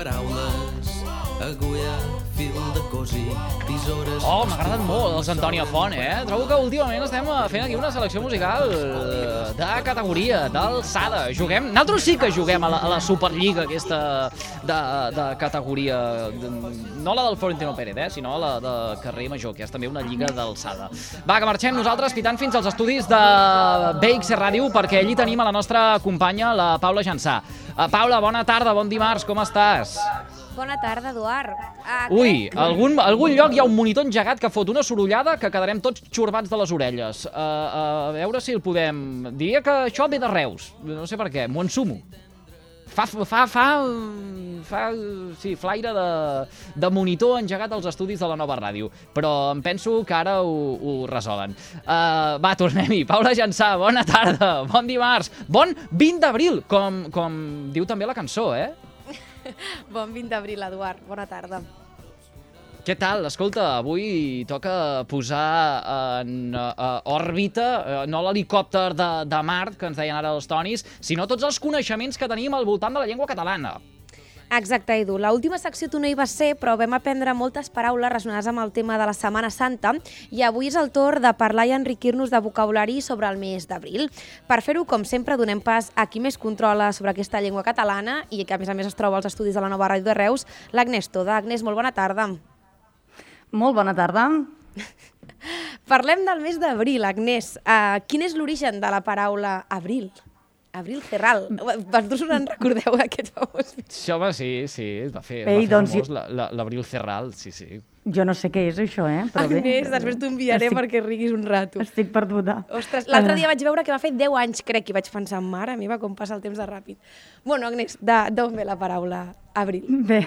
paraules, agulla, fil de cosir, tisores... Oh, m'agraden molt els Antònia Font, Trobo que últimament estem fent aquí una selecció musical de categoria, d'alçada. Juguem... Nosaltres sí que juguem a la Superliga aquesta de categoria. No la del Florentino Pérez, sinó la de Carrer Major, que és també una lliga d'alçada. Va, que marxem nosaltres pitant fins als estudis de BXC Ràdio, perquè allí tenim a la nostra companya, la Paula Jansà. Paula, bona tarda, bon dimarts, com estàs? Bona tarda, Eduard. Ui, algun lloc hi ha un monitor engegat que fot una sorollada que quedarem tots xorbats de les orelles. A veure si el podem... Diria que això ve de Reus, no sé per què, m'ho ensumo. Fa flaire de monitor engegat als estudis de la nova ràdio, però em penso que ara ho resolen. Va, tornem-hi. Paula Jansà, bona tarda, bon dimarts, bon 20 d'abril, com diu també la cançó, Bon 20 d'abril, Eduard. Bona tarda. Què tal? Escolta, avui toca posar en òrbita no l'helicòpter de Mart, que ens deien ara els tonis, sinó tots els coneixements que tenim al voltant de la llengua catalana. Exacte, Edu. L'última secció tu no hi vas ser, però vam aprendre moltes paraules relacionades amb el tema de la Setmana Santa i avui és el torn de parlar i enriquir-nos de vocabulari sobre el mes d'abril. Per fer-ho, com sempre, donem pas a qui més controla sobre aquesta llengua catalana i que, a més es troba als estudis de la nova ràdio de Reus, l'Agnès Toda. Agnès, molt bona tarda. Molt bona tarda. Parlem del mes d'abril, Agnès. Quin és l'origen de la paraula abril? Abril Cerral. Vosaltres us en recordeu aquest famós? Sí, home, sí, va fer doncs famós l'Abril Cerral, sí. Jo no sé què és això, però bé. Agnès, després t'ho enviaré perquè riguis un rato. Estic perduda. Ostres, l'altre dia vaig veure que va fer 10 anys, crec, i vaig pensar, mare meva, com passa el temps de ràpid. Bueno, Agnès, d'on ve la paraula abril? Bé,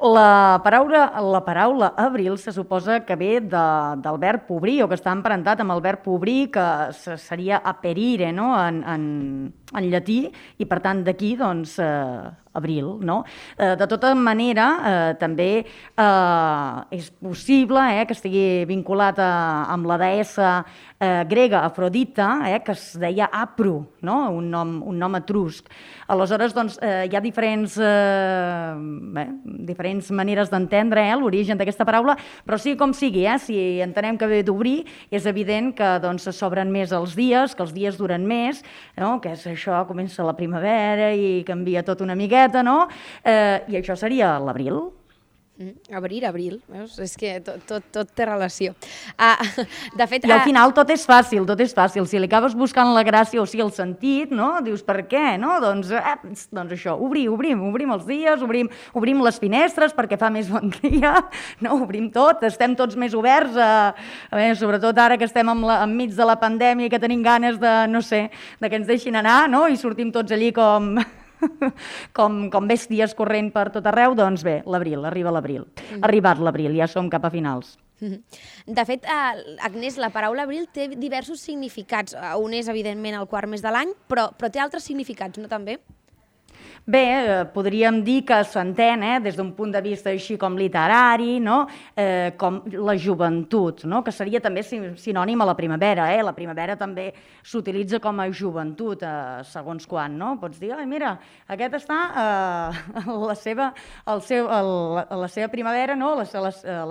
la paraula abril se suposa que ve del verb obrir, o que està emparentat amb el verb obrir, que seria aperire, no?, en llatí, i per tant d'aquí, doncs, abril, no? De tota manera, també és possible que estigui vinculat amb la deessa grega Afrodita, que es deia Apru, no? Un nom etrusc. Aleshores, doncs, hi ha diferents maneres d'entendre l'origen d'aquesta paraula, però sigui com sigui, si entenem que ve d'obrir, és evident que s'obren més els dies, que els dies duren més, que és això, comença la primavera i canvia tot una miqueta, no? I això seria l'abril. Abril, veus? És que tot té relació. De fet... I al final tot és fàcil. Si li acabes buscant la gràcia o sigui el sentit, no? Dius, per què? No? Doncs això, obrim els dies, obrim les finestres perquè fa més bon dia, no? Obrim tot, estem tots més oberts, sobretot ara que estem enmig de la pandèmia i que tenim ganes de que ens deixin anar, no? I sortim tots allí com bèsties corrent per tot arreu, doncs bé, l'abril, arriba l'abril. Ha arribat l'abril, ja som cap a finals. De fet, Agnès, la paraula abril té diversos significats. Un és, evidentment, el quart mes de l'any, però té altres significats, no també? Bé, podríem dir que s'entén des d'un punt de vista així com literari, no? Com la joventut, no? Que seria també sinònim a la primavera. La primavera també s'utilitza com a joventut, segons quan, no? Pots dir, mira, aquest està a la seva primavera, no? La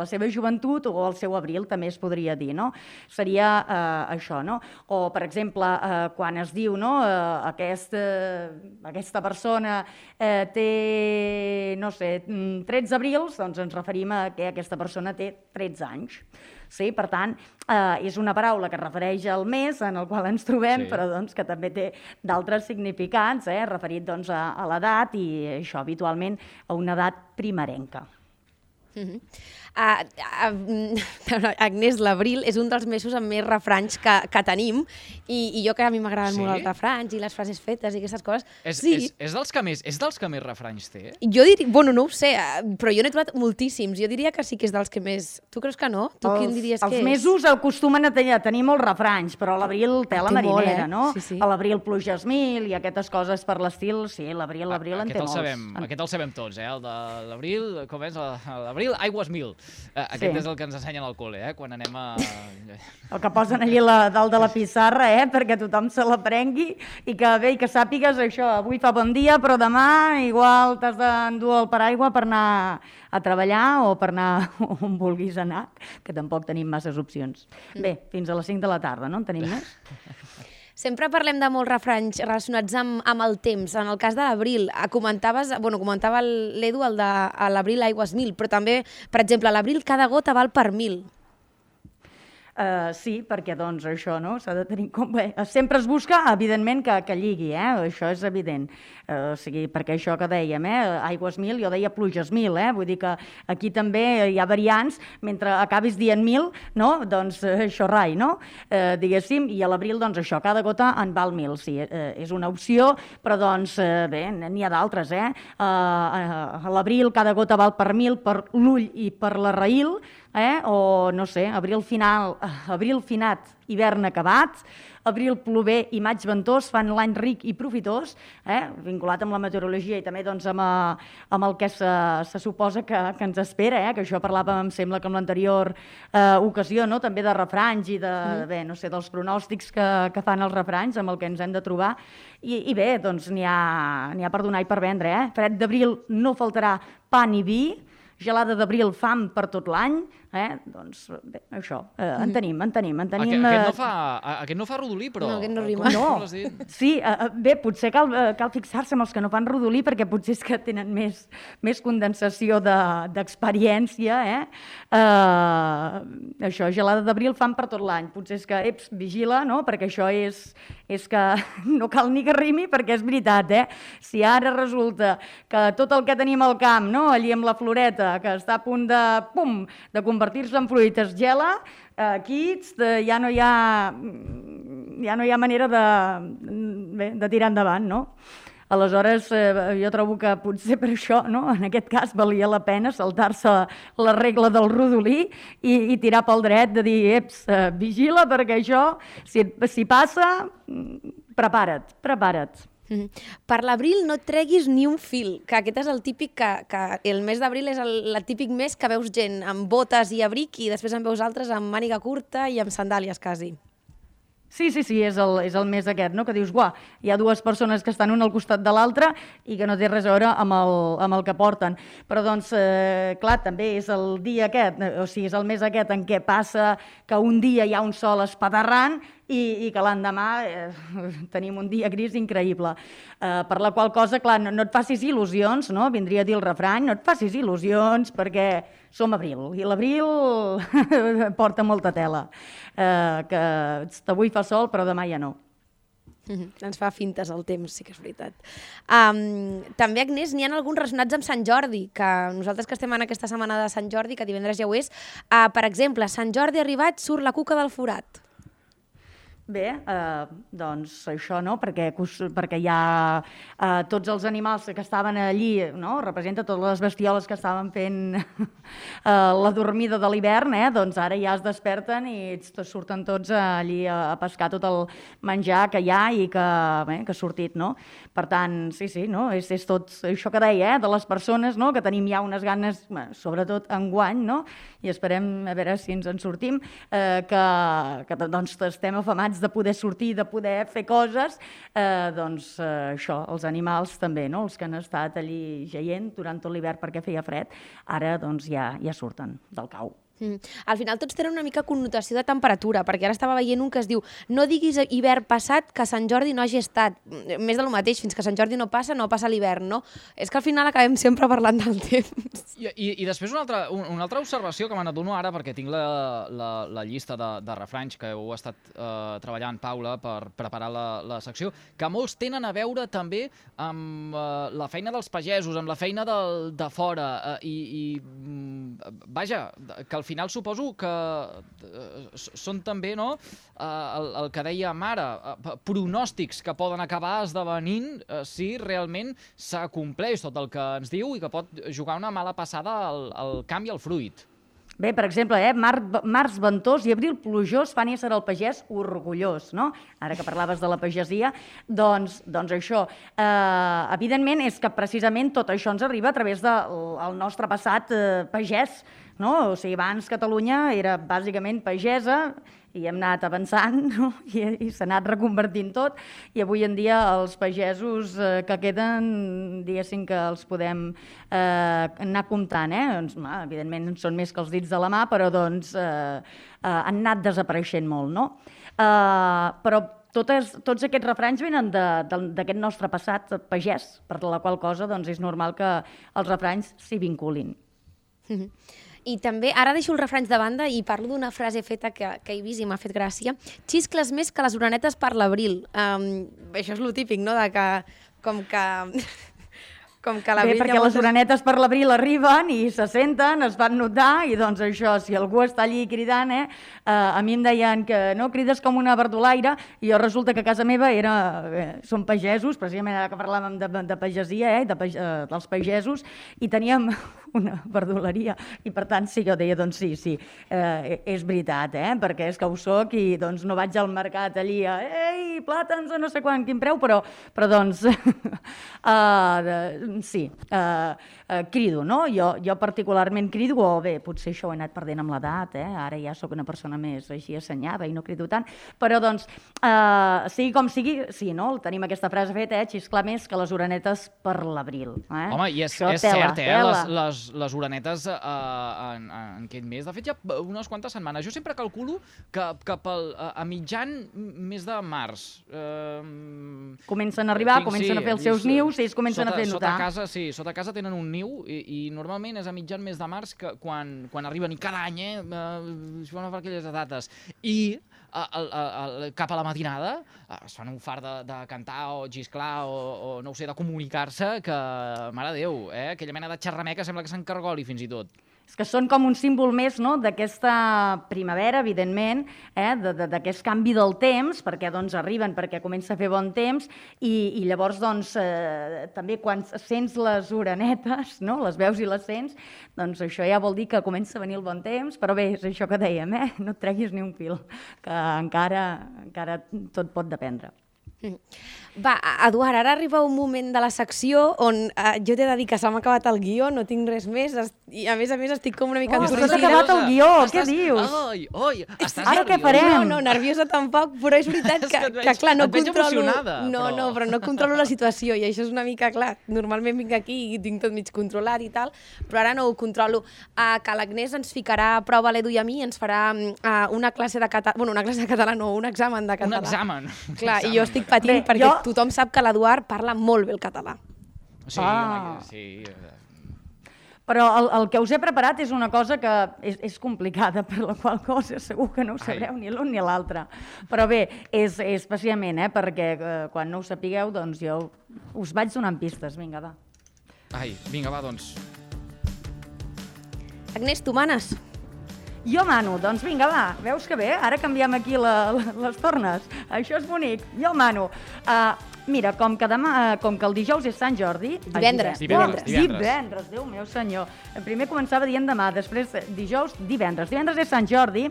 seva joventut o el seu abril, també es podria dir, no? Seria això, no? O, per exemple, quan es diu, no? Aquesta persona té, 13 abrils, doncs ens referim a que aquesta persona té 13 anys. Sí, per tant, és una paraula que es refereix al mes en el qual ens trobem, però que també té d'altres significats, referit a l'edat i això habitualment a una edat primerenca. Agnès, l'abril és un dels mesos amb més refranys que tenim i jo que a mi m'agraden molt els refranys i les frases fetes i aquestes coses. És dels que més refranys té? Jo diria, bueno, no ho sé, però jo n'he trobat moltíssims. Jo diria que sí que és dels que més... Tu creus que no? Tu quin diries que és? Els mesos acostumen a tenir molts refranys, però a l'abril té la marinera, no? A l'abril pluges mil i aquestes coses per l'estil, sí, l'abril en té molts. Aquest el sabem tots, el de l'abril, com és? L'abril d'abril, aigües 1000. Aquest és el que ens ensenyen al col·le, quan anem a... El que posen allí dalt de la pissarra, perquè tothom se l'aprengui i que sàpigues això, avui fa bon dia, però demà igual t'has d'endur el paraigua per anar a treballar o per anar on vulguis anar, que tampoc tenim masses opcions. Bé, fins a les 5 de la tarda, no en tenim més? Sempre parlem de molts refranys relacionats amb el temps. En el cas de l'abril, comentava l'Edu el de l'abril aigües 1000, però també, per exemple, a l'abril cada gota val per 1000. Sí, perquè doncs això no s'ha de tenir en compte. Sempre es busca, evidentment, que lligui, això és evident. O sigui, perquè això que dèiem, aigües 1000, jo deia pluges 1000, vull dir que aquí també hi ha variants, mentre acabis dient 1000, no? Doncs això rai, no? Diguéssim, i a l'abril, doncs això, cada gota en val 1000, sí, és una opció, però doncs bé, n'hi ha d'altres, a l'abril cada gota val per 1000, per l'ull i per la raïl, o no sé, abril finat, hivern acabat, abril plover i maig ventós fan l'any ric i profitós, vinculat amb la meteorologia i també doncs, amb el que se suposa que ens espera, que això parlàvem, em sembla, que en l'anterior ocasió, no? També de refranys i bé, no sé, dels pronòstics que fan els refranys, amb el que ens hem de trobar. I bé, doncs n'hi ha per donar i per vendre. Fred d'abril no faltarà pa ni vi, gelada d'abril, fam per tot l'any, doncs bé, això, en tenim. Aquest no fa rodolí, però... No, aquest no rima. No, sí, bé, potser cal fixar-se en els que no fan rodolí, perquè potser és que tenen més condensació d'experiència, Això, gelada d'abril, fam per tot l'any. Potser és que, vigila, no?, perquè això és que no cal ni que rimi, perquè és veritat, Si ara resulta que tot el que tenim al camp, no?, allí amb la floreta, que està a punt de convertir-se en fruit, es gela, aquí ja no hi ha manera de tirar endavant, no? Aleshores, jo trobo que potser per això, no?, en aquest cas, valia la pena saltar-se la regla del rodolí i tirar pel dret de dir, vigila, perquè això, si passa, prepara't. Per l'abril no et treguis ni un fil, que aquest és el típic que el mes d'abril és el típic mes que veus gent amb botes i abric i després en veus altres amb màniga curta i amb sandàlies, quasi. Sí, és el mes aquest, no?, que dius, hi ha dues persones que estan una al costat de l'altra i que no té res a veure amb el que porten. Però, doncs, clar, també és el dia aquest, o sigui, és el mes aquest en què passa que un dia hi ha un sol espaterrant i que l'endemà tenim un dia gris increïble. Per la qual cosa, clar, no et facis il·lusions, no?, vindria a dir el refrany, no et facis il·lusions perquè som abril, i l'abril porta molta tela, que avui fa sol però demà ja no. Ens fa fintes el temps, sí que és veritat. També, Agnès, n'hi ha alguns relacionats amb Sant Jordi, que nosaltres que estem en aquesta setmana de Sant Jordi, que divendres ja ho és, per exemple, Sant Jordi arribat, surt la cuca del forat. Bé, doncs això, no?, perquè hi ha tots els animals que estaven allí, no?, representa totes les bestioles que estaven fent la dormida de l'hivern, doncs ara ja es desperten i surten tots allí a pescar tot el menjar que hi ha i que ha sortit, no? Per tant, sí, no?, és tot això que deia, de les persones, no?, que tenim ja unes ganes, sobretot enguany, no?, i esperem a veure si ens en sortim, que doncs estem afamats de poder sortir, de poder fer coses, doncs això, els animals també, no?, els que han estat allí jaient durant tot l'hivern perquè feia fred, ara doncs ja surten del cau. Al final tots tenen una mica connotació de temperatura, perquè ara estava veient un que es diu no diguis hivern passat que Sant Jordi no hagi estat. Més de lo mateix, fins que Sant Jordi no passa l'hivern, no? És que al final acabem sempre parlant del temps. I després una altra observació que me n'adono ara, perquè tinc la llista de refranys que heu estat treballant, Paula, per preparar la secció, que molts tenen a veure també amb la feina dels pagesos, amb la feina de fora, i vaja, que al final suposo que són també, no?, el que dèiem ara, pronòstics que poden acabar esdevenint si realment s'acompleix tot el que ens diu i que pot jugar una mala passada al camp i al fruit. Bé, per exemple, març ventós i abril plujós fan ésser el pagès orgullós, no? Ara que parlaves de la pagesia, doncs això. Evidentment és que precisament tot això ens arriba a través del nostre passat pagès, no? O sigui, abans Catalunya era bàsicament pagesa i hem anat avançant, no? I s'ha anat reconvertint tot, i avui en dia els pagesos que queden, diguéssim que els podem anar comptant, doncs, evidentment són més que els dits de la mà, però doncs han anat desapareixent molt, no? Però tots aquests refranys venen d'aquest nostre passat pagès, per la qual cosa doncs, és normal que els refranys s'hi vinculin. I també, ara deixo els refranys de banda i parlo d'una frase feta que he vist i m'ha fet gràcia. Xiscles més que les orenetes per l'abril. Això és lo típic, no?, de que com que l'abril... Bé, perquè les orenetes per l'abril arriben i se senten, es van notar, i doncs això, si algú està allí cridant, a mi em deien que no, crides com una verdolaire, i jo resulta que a casa meva som pagesos, precisament ara que parlàvem de pagesia, dels pagesos, i teníem una verdoleria, i per tant sí, jo deia, doncs sí, és veritat, perquè és que ho soc i doncs no vaig al mercat allí ei, plàtans a no sé quin preu, però doncs sí, crido, no? Jo particularment crido, o bé, potser això ho he anat perdent amb l'edat, ara ja sóc una persona més així assenyada i no crido tant, però doncs, sigui com sigui, sí, no? Tenim aquesta frase feta, xisclar més que les orenetes per l'abril. Home, i és cert, les orenetes en aquest mes, de fet ja unes quantes setmanes, jo sempre calculo que cap a mitjan mes de març comencen a arribar, comencen a fer els seus nius i es comencen a fer notar. Sota casa tenen un niu i normalment és a mitjan mes de març quan arriben, i cada any, es fan per aquelles dates. I cap a la matinada es fan un fart de cantar o xisclar o no ho sé, de comunicar-se, que, mare de Déu, aquella mena de xerrameca sembla que s'encargoli fins i tot. És que són com un símbol més, no?, d'aquesta primavera, evidentment, d'aquest canvi del temps, perquè doncs arriben, perquè comença a fer bon temps, i llavors doncs també quan sents les orenetes, no?, les veus i les sents, doncs això ja vol dir que comença a venir el bon temps, però bé, és això que dèiem, no et treguis ni un fil, que encara tot pot dependre. Va, Eduard, ara arriba un moment de la secció on jo t'he de dir que se m'ha acabat el guió, no tinc res més, i a més estic com una mica entornada. S'ha acabat el guió, què dius? Oi, estàs ara què farem? No, nerviosa tampoc, però és veritat que clar, no controlo... No, però no controlo la situació, i això és una mica clar. Normalment vinc aquí i tinc tot mig controlat i tal, però ara no ho controlo. Que l'Agnès ens ficarà a prova l'Edu i a mi, ens farà una classe de català... Bueno, una classe de català no, un examen de català. Un examen. Clar, i jo estic patint perquè tothom sap que l'Eduard parla molt bé el català. Sí. Però el que us he preparat és una cosa que és complicada, per la qual cosa segur que no ho sabreu ni l'un ni l'altre. Però bé, és especialment, perquè quan no ho sapigueu, doncs jo us vaig donant pistes. Vinga, va. Vinga, va, doncs. Agnès, tu manes. Jo mano, doncs vinga, va, veus que bé? Ara canviem aquí les tornes. Això és bonic, jo mano. Mira, com que el dijous és Sant Jordi... Divendres, Déu meu senyor. Primer començava dient demà, després dijous, divendres. Divendres és Sant Jordi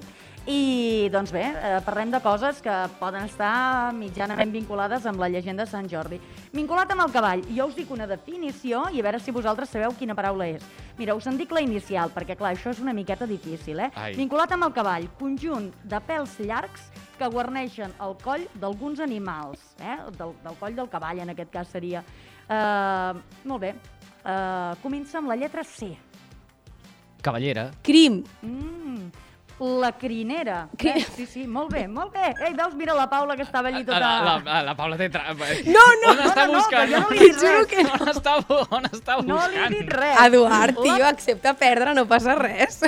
i, doncs bé, parlem de coses que poden estar mitjanament vinculades amb la llegenda de Sant Jordi. Vinculat amb el cavall, jo us dic una definició i a veure si vosaltres sabeu quina paraula és. Mira, us en dic la inicial, perquè clar, això és una miqueta difícil, Vinculat amb el cavall, conjunt de pèls llargs que guarneixen el coll d'alguns animals, del coll del cavall, en aquest cas seria. Molt bé, comença amb la lletra C. Cavallera. Crim. La crinera. Sí, molt bé. Ei, veus, mira la Paula que estava allí tota... La Paula té... No! On està buscant? No li he dit res. On està buscant? No li he dit res. Eduard, tio, accepta perdre, no passa res.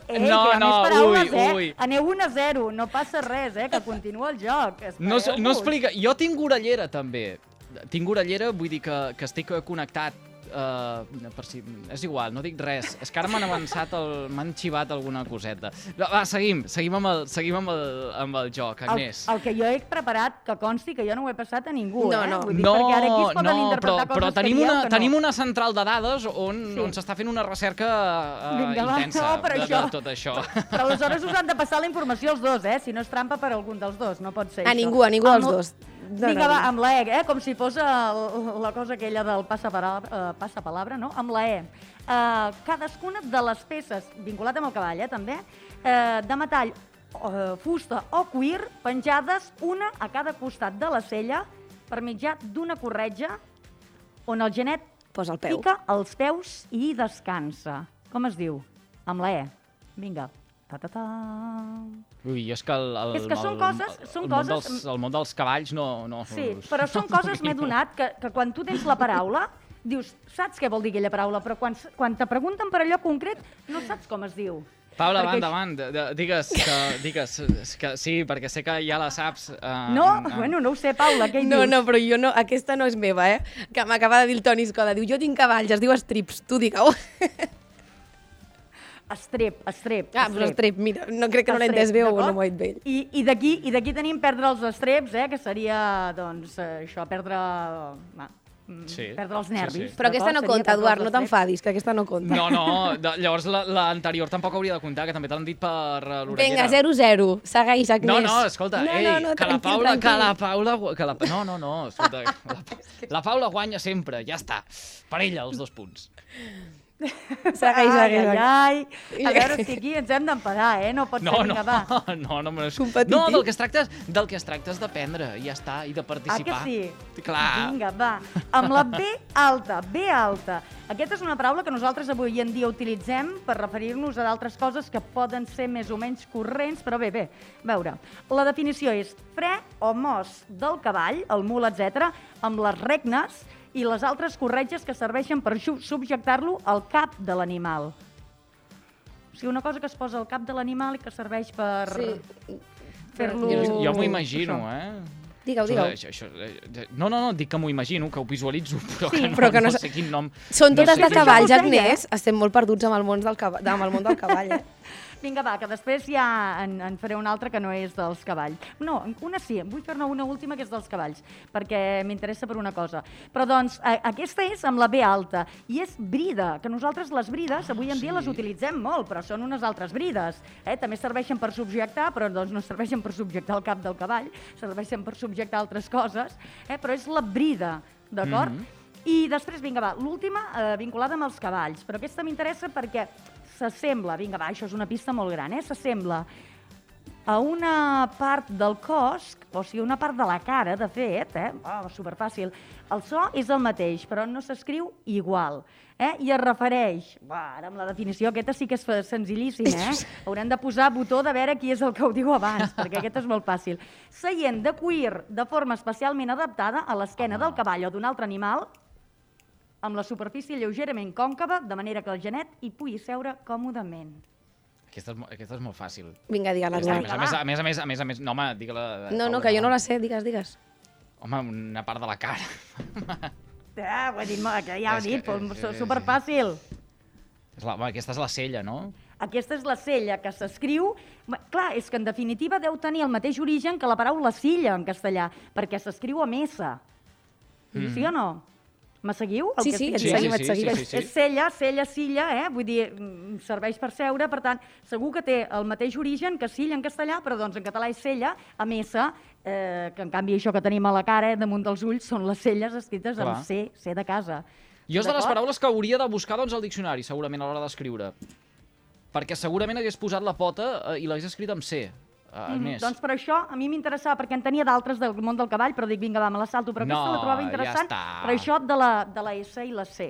Ui. Aneu 1-0, no passa res, que continua el joc. No explica. Jo tinc orellera, també. Tinc orellera, vull dir que estic connectat per si... És igual, no dic res. És que ara m'han xivat alguna coseta. Va, seguim amb el joc, Agnès. El que jo he preparat, que consti que jo no ho he passat a ningú, No. Vull dir, perquè ara aquí es poden interpretar coses però que dieu que no. tenim una central de dades on s'està fent una recerca intensa de tot això. Però aleshores us han de passar la informació els dos, Si no és trampa per algun dels dos, no pot ser A això. ningú dels dos. Vinga, va, amb la E, com si fos la cosa aquella del passapalabra, no? Amb la E. Cadascuna de les peces, vinculat amb el cavall, també, de metall, fusta o cuir, penjades una a cada costat de la sella per mitjà d'una corretja on el genet Posa el peu. pica els peus i descansa. Com es diu? Amb la E. Vinga. Ta-ta-ta. Ui, és que És que són coses... el món dels cavalls no... Sí, però són coses, m'he donat, que quan tu tens la paraula, dius, saps què vol dir aquella paraula, però quan te pregunten per allò concret, no saps com es diu. Paula, endavant, digues que sí, perquè sé que ja la saps. Bueno, no ho sé, Paula, què hi dius? No, però jo no, aquesta no és meva, que m'acaba de dir el Toni Escoda. Diu, jo tinc cavalls, es diu Strips, tu digue-ho. Estrep. Però estrep, mira, no crec que no l'he entès bé o no m'ho he dit bé. I d'aquí tenim perdre els estreps, que seria, doncs, això, perdre els nervis. Sí. Però aquesta no compta, Eduard, no t'enfadis, que aquesta no compta. No, llavors l'anterior tampoc hauria de comptar, que també te l'han dit per l'orellera. Vinga, 0-0, segueix, Agnès. No, escolta, escolta, la Paula guanya sempre, ja està, per ella els 2 punts. Segueix. Ai. A veure si aquí ens hem d'empadar, no pot ser, vinga, va. No, del que es tracta és d'aprendre, i ja està, i de participar. Ah, que sí? Clar. Vinga, va. Amb la B alta. Aquesta és una paraula que nosaltres avui en dia utilitzem per referir-nos a d'altres coses que poden ser més o menys corrents, però bé, a veure. La definició és fre o mos del cavall, el mul, etc., amb les regnes i les altres corretges que serveixen per subjectar-lo al cap de l'animal. O sigui, una cosa que es posa al cap de l'animal i que serveix per fer-lo... Jo m'ho imagino, Digue-ho. No, dic que m'ho imagino, que ho visualitzo, però que no sé quin nom... Són totes de cavalls, Agnès. Estem molt perduts amb el món del cavall, Vinga, va, que després ja en faré una altra que no és dels cavalls. No, una sí, vull fer-ne una última que és dels cavalls, perquè m'interessa per una cosa. Però doncs, aquesta és amb la B alta, i és brida, que nosaltres les brides avui en dia les utilitzem molt, però són unes altres brides. També serveixen per subjectar, però doncs no serveixen per subjectar el cap del cavall, serveixen per subjectar altres coses, però és la brida, d'acord? I després, vinga, va, l'última vinculada amb els cavalls, però aquesta m'interessa perquè s'assembla, vinga, va, això és una pista molt gran, s'assembla a una part del cos, o sigui, una part de la cara, de fet, superfàcil. El so és el mateix, però no s'escriu igual, i es refereix, ara amb la definició, aquesta sí que és senzillíssim, haurem de posar botó de veure qui és el que ho diu abans, perquè aquest és molt fàcil. Seient de cuir de forma especialment adaptada a l'esquena del cavall o d'un altre animal, amb la superfície lleugerament còncava, de manera que el genet hi pugui seure còmodament. Aquesta és molt fàcil. Vinga, digue-la. A més, no, home, digue-la... No, que jo no la sé, digues. Home, una part de la cara. Ho he dit, ja ho he dit, superfàcil. Aquesta és la sella, no? Aquesta és la sella, que s'escriu... Clar, és que en definitiva deu tenir el mateix origen que la paraula silla en castellà, perquè s'escriu amb S. Sí o no? Me seguiu? Sí, et seguim. És sella, silla, vull dir, serveix per seure, per tant, segur que té el mateix origen que silla en castellà, però doncs en català és sella, amb S, que en canvi això que tenim a la cara, damunt dels ulls, són les celles escrites amb C de casa. Jo és de les paraules que hauria de buscar doncs al diccionari, segurament, a l'hora d'escriure. Perquè segurament hagués posat la pota i l'hagués escrit amb C. Doncs per això a mi m'interessava, perquè en tenia d'altres del món del cavall, però dic, vinga, va, me la salto, però aquesta la trobava interessant, per això de la S i la C.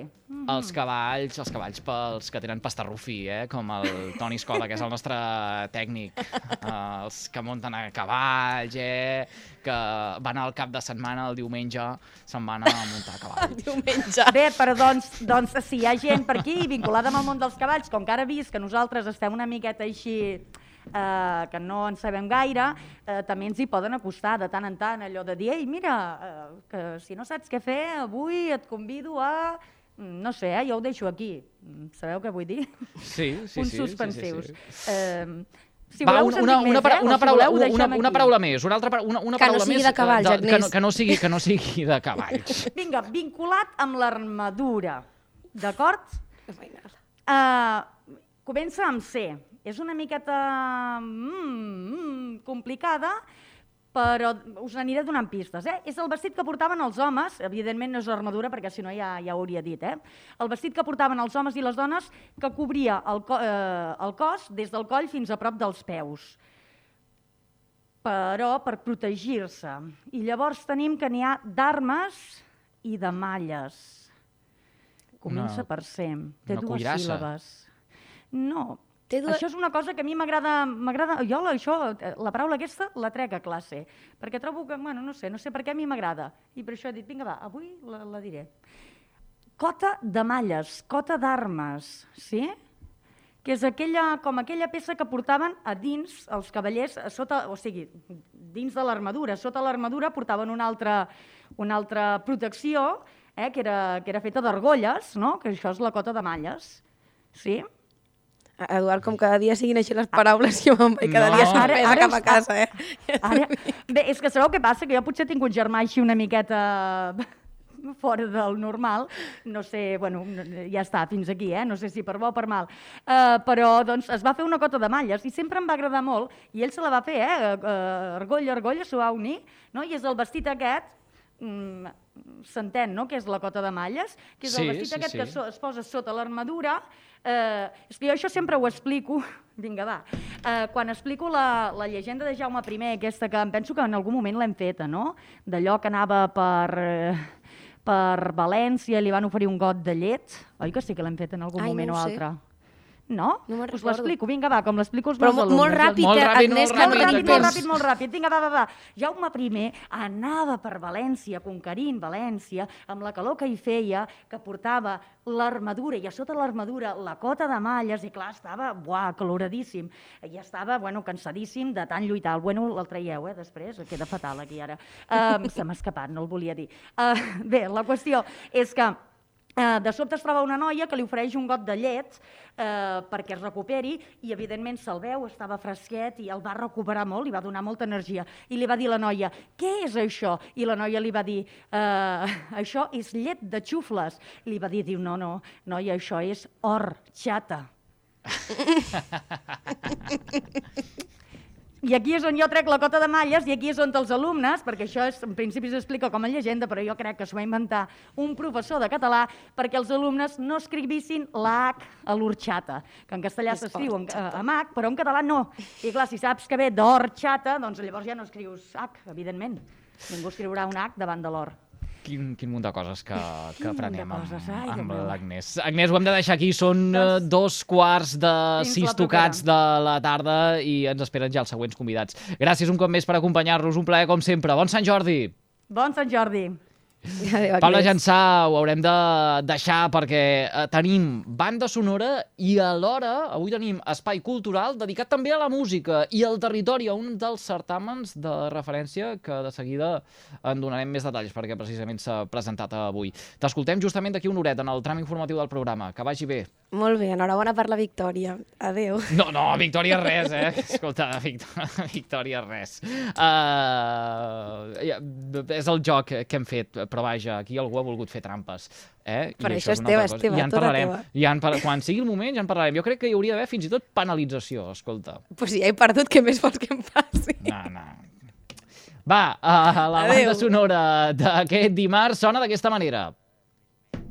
Els cavalls pels que tenen pastarrufí, com el Toni Escoda, que és el nostre tècnic, els que munten a cavalls, que van al cap de setmana, el diumenge, se'n van a muntar a cavall. Diumenge. Bé, però doncs si hi ha gent per aquí vinculada amb el món dels cavalls, com que ara he vist que nosaltres estem una miqueta així... que no en sabem gaire, també ens hi poden acostar de tant en tant, allò de dir, ei, mira, que si no saps què fer, avui et convido a no sé, jo ho deixo aquí. Sabeu què vull dir? Sí. Punts suspensius. Si Va, voleu, una paraula més, una paraula Que no sigui més, de cavalls, Agnès. que no sigui de cavalls. Vinga, vinculat amb l'armadura, d'acord? Comença amb C. És una miqueta complicada, però us n'aniré donant pistes. És el vestit que portaven els homes, evidentment no és l'armadura, perquè si no ja ho hauria dit. El vestit que portaven els homes i les dones que cobria el cos des del coll fins a prop dels peus, però per protegir-se. I llavors tenim que n'hi ha d'armes i de malles. Comença per C. Té dues síl·labes. No. Això és una cosa que a mi m'agrada... Jo la paraula aquesta la trec a classe, perquè trobo que, bueno, no sé per què a mi m'agrada. I per això he dit, vinga, va, avui la diré. Cota de malles, cota d'armes, sí? Que és com aquella peça que portaven a dins els cavallers, o sigui, dins de l'armadura. Sota l'armadura portaven una altra protecció, que era feta d'argolles, no? Que això és la cota de malles, sí? Eduard, com cada dia siguin així les paraules, jo me'n vaig cada dia sorpresa cap a casa, Bé, és que sabeu què passa? Que jo potser tinc un germà així una miqueta fora del normal, no sé, bueno, ja està, fins aquí, no sé si per bo o per mal, però doncs es va fer una cota de malles i sempre em va agradar molt, i ell se la va fer, argolla, s'ho va unir, no? I és el vestit aquest, s'entén, no?, que és la cota de malles, que és el vestit aquest que es posa sota l'armadura. És que jo això sempre ho explico, vinga, va, quan explico la llegenda de Jaume I, aquesta que em penso que en algun moment l'hem feta, no?, d'allò que anava per València i li van oferir un got de llet, oi que sí que l'hem fet en algun moment o altre? No? Us l'explico, vinga, va, com l'explico als meus alumnes. Però molt ràpid, Agnès, que no tenim temps. Molt ràpid, vinga, va. Jaume I anava per València, conquerint València, amb la calor que hi feia, que portava l'armadura, i a sota l'armadura la cota de malles, i clar, estava, caloradíssim, i estava, cansadíssim de tant lluitar. Bueno, el traieu, després, queda fatal aquí ara. Se m'ha escapat, no el volia dir. Bé, la qüestió és que de sobte es troba una noia que li ofereix un got de llet perquè es recuperi i evidentment se'l veu, estava fresquet i el va recuperar molt, li va donar molta energia i li va dir a la noia, què és això? I la noia li va dir, això és llet de xufles. Li va dir, no, noia, això és horchata. I aquí és on jo trec la cota de malles i aquí és on els alumnes, perquè això en principi s'explica com a llegenda, però jo crec que s'ho va inventar un professor de català perquè els alumnes no escrivissin la H a l'orxata, que en castellà s'escriu amb H, però en català no. I clar, si saps que ve d'orxata, doncs llavors ja no escrius H, evidentment. Ningú escriurà un H davant de l'or. Quin munt de coses que aprenem amb l'Agnès. Agnès, ho hem de deixar aquí, són 2:15 tocats de la tarda i ens esperen ja els següents convidats. Gràcies un cop més per acompanyar-nos, un plaer com sempre. Bon Sant Jordi! Bon Sant Jordi! Paula Jansà, ho haurem de deixar perquè tenim banda sonora i alhora avui tenim espai cultural dedicat també a la música i al territori, a un dels certàmens de referència que de seguida en donarem més detalls perquè precisament s'ha presentat avui. T'escoltem justament d'aquí una horeta en el tram informatiu del programa. Que vagi bé. Molt bé, enhorabona per la victòria. Adéu. No, victòria res, Escolta, victòria res. És el joc que hem fet, però vaja, aquí algú ha volgut fer trampes. Per això és teva, tota teva. Quan sigui el moment ja en parlarem. Jo crec que hi hauria d'haver fins i tot penalització, escolta. Pues si ja he perdut, què més vols que em passi? No. Va, la banda sonora d'aquest dimarts sona d'aquesta manera.